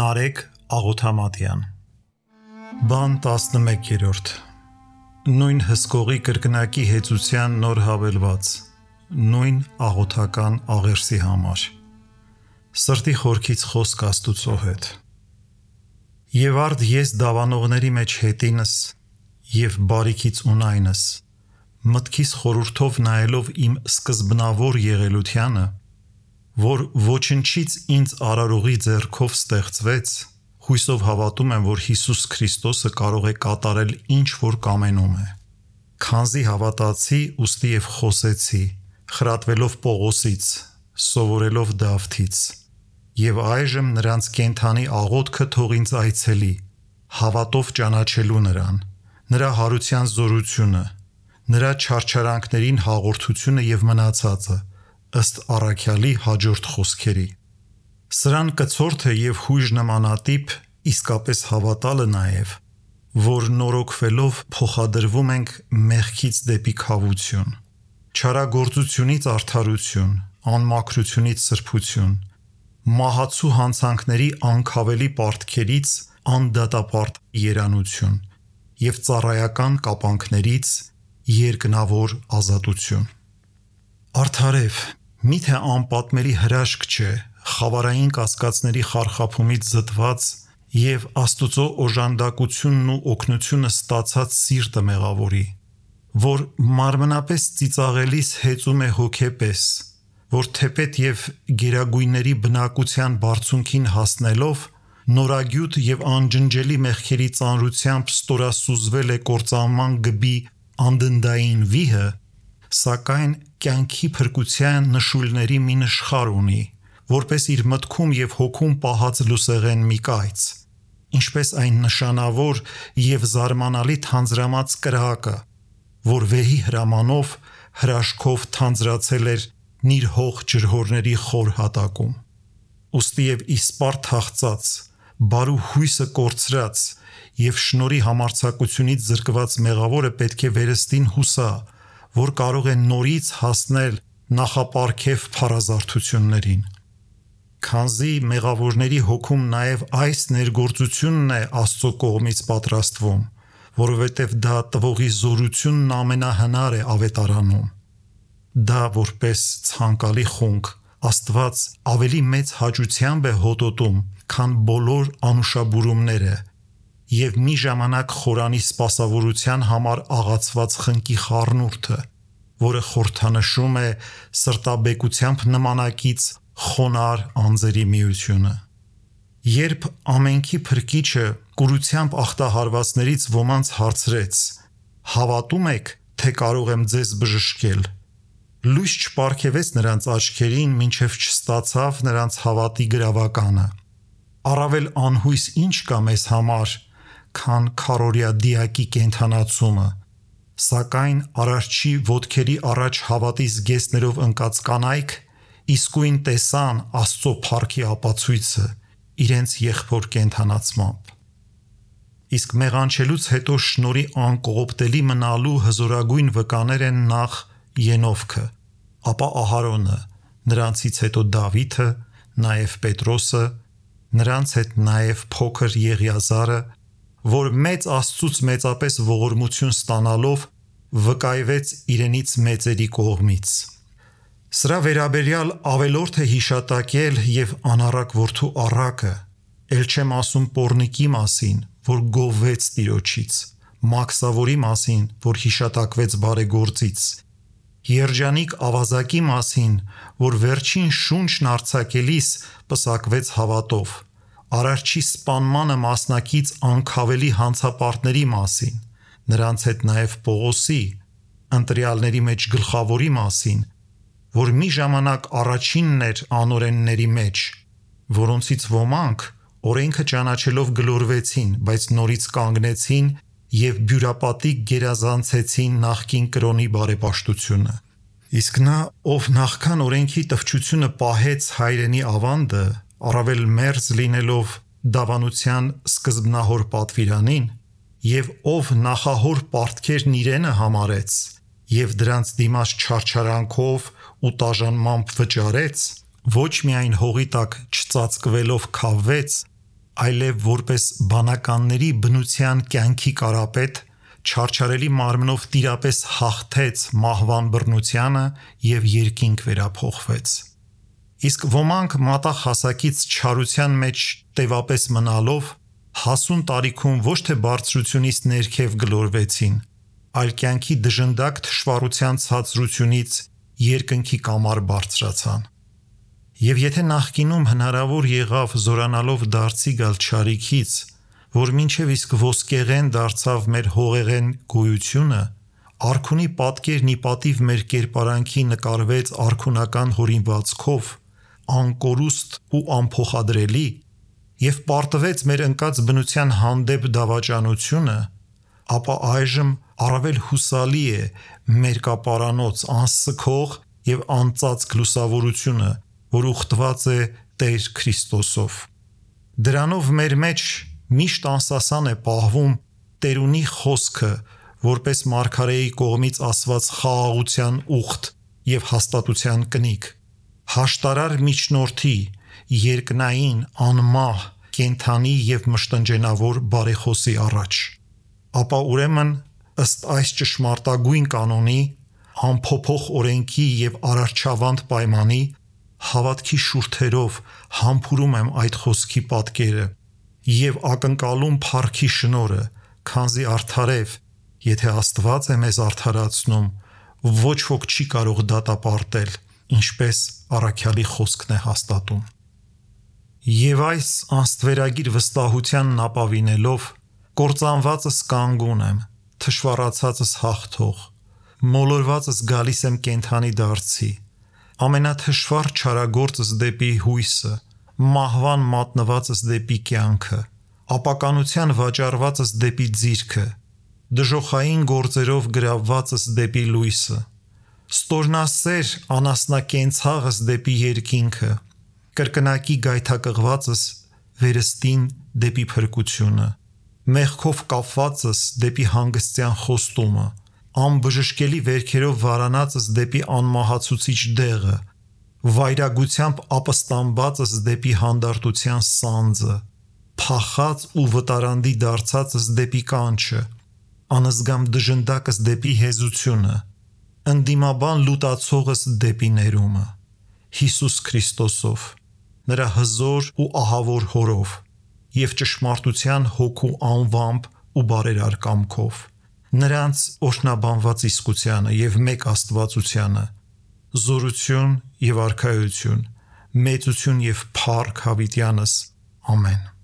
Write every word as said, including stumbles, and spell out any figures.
Նարեկ Աղոթամատյան Բան տասնմեկերորդ Նույն հսկողի կրկնակի հեծության նոր հավելված Նույն աղոթական աղերսի համար Սրտի խորքից խոսք Աստուծո հետ Եվ արդ ես դավանողների մեջ հետինս և բարիքից ունայնս մտքիս խորհուրդով նայելով իմ սկզբնավոր եղելությանը որ ոչնչից ինձ արարողի ձեռքով ստեղծվեց, հույսով հավատում եմ, որ Հիսուս Քրիստոսը կարող է կատարել ինչ որ կամենում է։ Քանզի հավատացի, ուստի և խոսեցի, խրատվելով Պողոսից, սովորելով Դավթից, և այժմ նրանց կենդանի աղոթքը թող ինձ այցելի, հավատով ճանաչելու նրան, նրա հարության զորությունը, նրա չարչարանքներին հաղորդությունը և մնացածը, ըստ առաքյալի հաջորդ խոսքերի։ Սրան կցորդը և հույժ նմանատիպ իսկապես հավատալը նաև, որ նորոգվելով փոխադրվում ենք մեղքից դեպի քավություն, չարագործությունից արդարություն, անմաքրությունից սրբություն, մահացու հանցանքների անքավելի պարտքերից անդատապարտ երանություն և ծառայական կապանքներից երկնավոր ազատություն։ Արդարև, միթե անպատմելի հրաշք չէ խավարային կասկածների խարխափումից զտված և Աստուծո օժանդակությունն ու օգնությունը ստացած սիրտը մեղավորի, որ մարմնապես ծիծաղելիս հեծում է հոգեպես, որ թեպետ և գերագույնների բնակության բարձունքին հասնելով նորագյուտ և անջնջելի մեղքերի ծանրությամբ ստորասուզվել է կործանման գբի անդնդային վիհը, սակայն կյանքի փրկության նշույլների մի նշխար ունի, որպես իր մտքում և հոգում պահած լուսեղեն մի կայծ, ինչպես այն նշանավոր և զարմանալի թանձրամած կրակը, որ վեհի հրամանով հրաշքով թանձրացել էր նիրհող ջրհորների խոր հատակում։ Ուստի և իսպառ թախծած, բարու հույսը կորցրած և շնորհի համարձակությունից զրկված մեղավորը պետք է վերստին հուսա, որ կարող է նորից հասնել նախապարգև փառազարդություններին։ Քանզի մեղավորների հոգում նաև այս ներգործությունն է Աստծո կողմից պատրաստվում, որովհետև դա տվողի զորությունն ամենահնար է ավետարանում։ Դա որպես ցանկալի խունկ Աստված ավելի մեծ հաճությամբ է հոտոտում, քան բոլոր անուշաբուրումները և մի ժամանակ խորանի սպասավորության համար աղացված խնկի խառնուրդը, որը խորհրդանշում է սրտաբեկությամբ նմանակից խոնարհ անձերի միությունը։ Երբ ամենքի Փրկիչը կուրությամբ ախտահարվածներից ոմանց հարցրեց. «Հավատո՞ւմ եք, թե կարող եմ ձեզ բժշկել», լույս չպարգևեց նրանց աչքերին, մինչև չստացավ նրանց հավատի գրավականը։ Առավել անհույս ինչ կա մեզ համար, քան քառօրյա դիակի կենդանացումը, սակայն Արարչի ոտքերի առաջ հավատի զգեստներով ընկած կանայք իսկույն տեսան Աստծո փառքի ապացույցը իրենց եղբոր կենդանացմամբ։ Իսկ մեղանչելուց հետո շնորհի անկողոպտելի մնալու հզորագույն վկաներ են նախ Ենովքը, ապա Ահարոնը, նրանցից հետո Դավիթը, նաև Պետրոսը, նրանց հետ նաև փոքր Եղիազարը, որ մեծ Աստծուց մեծապես ողորմություն ստանալով վկայվեց իրենից մեծերի կողմից։ Սրա վերաբերյալ ավելորդ է հիշատակել և անառակ որդու Առակը, էլ չեմ ասում Պոռնիկի մասին, որ գովվեց Տիրոջից, Մաքսավորի մասին, որ հիշատակվեց բարեգործից, Երջանիկ ավազակի մասին, որ վերջին շունչն արձակելիս պսակվեց հավատով, Արարչի սպանմանը մասնակից անքավելի հանցապարտների մասին, նրանց հետ նաև Պողոսի, ընտրյալների մեջ գլխավորի մասին, որ մի ժամանակ առաջինն էր անօրենների մեջ, որոնցից ոմանք օրենքը ճանաչելով գլորվեցին, բայց նորից կանգնեցին և բյուրապատիկ գերազանցեցին նախկին կրոնի բարեպաշտությունը։ Իսկ նա, ով նախքան օրենքի տվչությունը պահեց հայրենի ավանդը, առավել մերձ լինելով դավանության սկզբնահոր պատվիրանին, և ով նախահոր պարտքերն իրենը համարեց և դրանց դիմաց չարչարանքով ու տաժանմամբ վճարեց, ոչ միայն հողի տակ չծածկվելով քավվեց, այլև որպես բանականների բնության կյանքի կարապետ, չարչարելի մարմնով տիրապես հաղթեց մահվան բռնությանը և երկինք վերափոխվեց։ Իսկ ոմանք մատաղ հասակից չարության մեջ տևապես մնալով, հասուն տարիքում ոչ թե բարձրությունից ներքև գլորվեցին, այլ կյանքի դժնդակ թշվառության ցածրությունից երկնքի կամար բարձրացան։ Եվ եթե նախկինում հնարավոր եղավ զորանալով դարձի գալ չարիքից, որ մինչև իսկ ոսկեղեն դարձավ մեր հողեղեն գոյությունը, արքունի պատկերն ի պատիվ մեր կերպարանքի նկարվեց արքունական հորինվածքով, անկորուստ ու անփոխադրելի, և պարտվեց մեր ընկած բնության հանդեպ դավաճանությունը, ապա այժմ առավել հուսալի է մերկապարանոց անսքող և անծածկ լուսավորությունը, որ ուխտված է Տեր Քրիստոսով։ Դրանով մեր մեջ միշտ անսասան է պահվում Տերունի խոսքը, որպես մարգարեի կողմից ասված խաղաղության ուխտ և հաստատության կնիկ, հաշտարար միջնորդի, երկնային, անմահ, կենդանի և մշտնջենավոր բարեխոսի առաջ։ Ապա ուրեմն, ըստ այս ճշմարտագույն կանոնի, անփոփոխ օրենքի և արարչավանդ պայմանի, հավատքի շուրթերով համբուրում եմ այդ խոսքի պատկերը և ակնկալում փառքի շնորհը, քանզի արդարև, եթե Աստված է մեզ արդարացնում, ոչ ոք չի կարող դատապարտել, ինչպես առաքյալի խոսքն է հաստատում։ Եվ այս անստվերագիր վստահությանն ապավինելով, կործանվածս կանգուն եմ, թշվառացածս հաղթող, մոլորվածս գալիս եմ կենդանի դարձի, ամենաթշվառ չարագործս դեպի հույսը, մահվան մատնվածս դեպի կյանքը, ապականության վաճառվածս դեպի ձիրքը, դժոխային գործերով գրավվածս դեպի լույսը, ստորնասեր անասնակենցաղս դեպի երկինքը, կրկնակի գայթակղվածս վերստին դեպի փրկությունը, մեղքով կապվածս դեպի հանգստյան խոստումը, անբժշկելի վերքերով վարանածս դեպի անմահացուցիչ դեղը, վայրագությամբ ապստամբածս դեպի հանդարտության սանձը, փախած ու վտարանդի դարձածս դեպի կանչը, անզգամ դժնդակս դեպի հեզությունը, ընդդիմաբան լուտացողս դեպի ներումը, Հիսուս Քրիստոսով, նրա հզոր ու ահավոր հորով և ճշմարտության հոգու անվամբ ու բարերար կամքով, նրանց օրհնաբանված իսկությանը և մեկ Աստվածությանը, զորություն և արքայություն, մեծություն և փառք հավիտյանս, ամեն։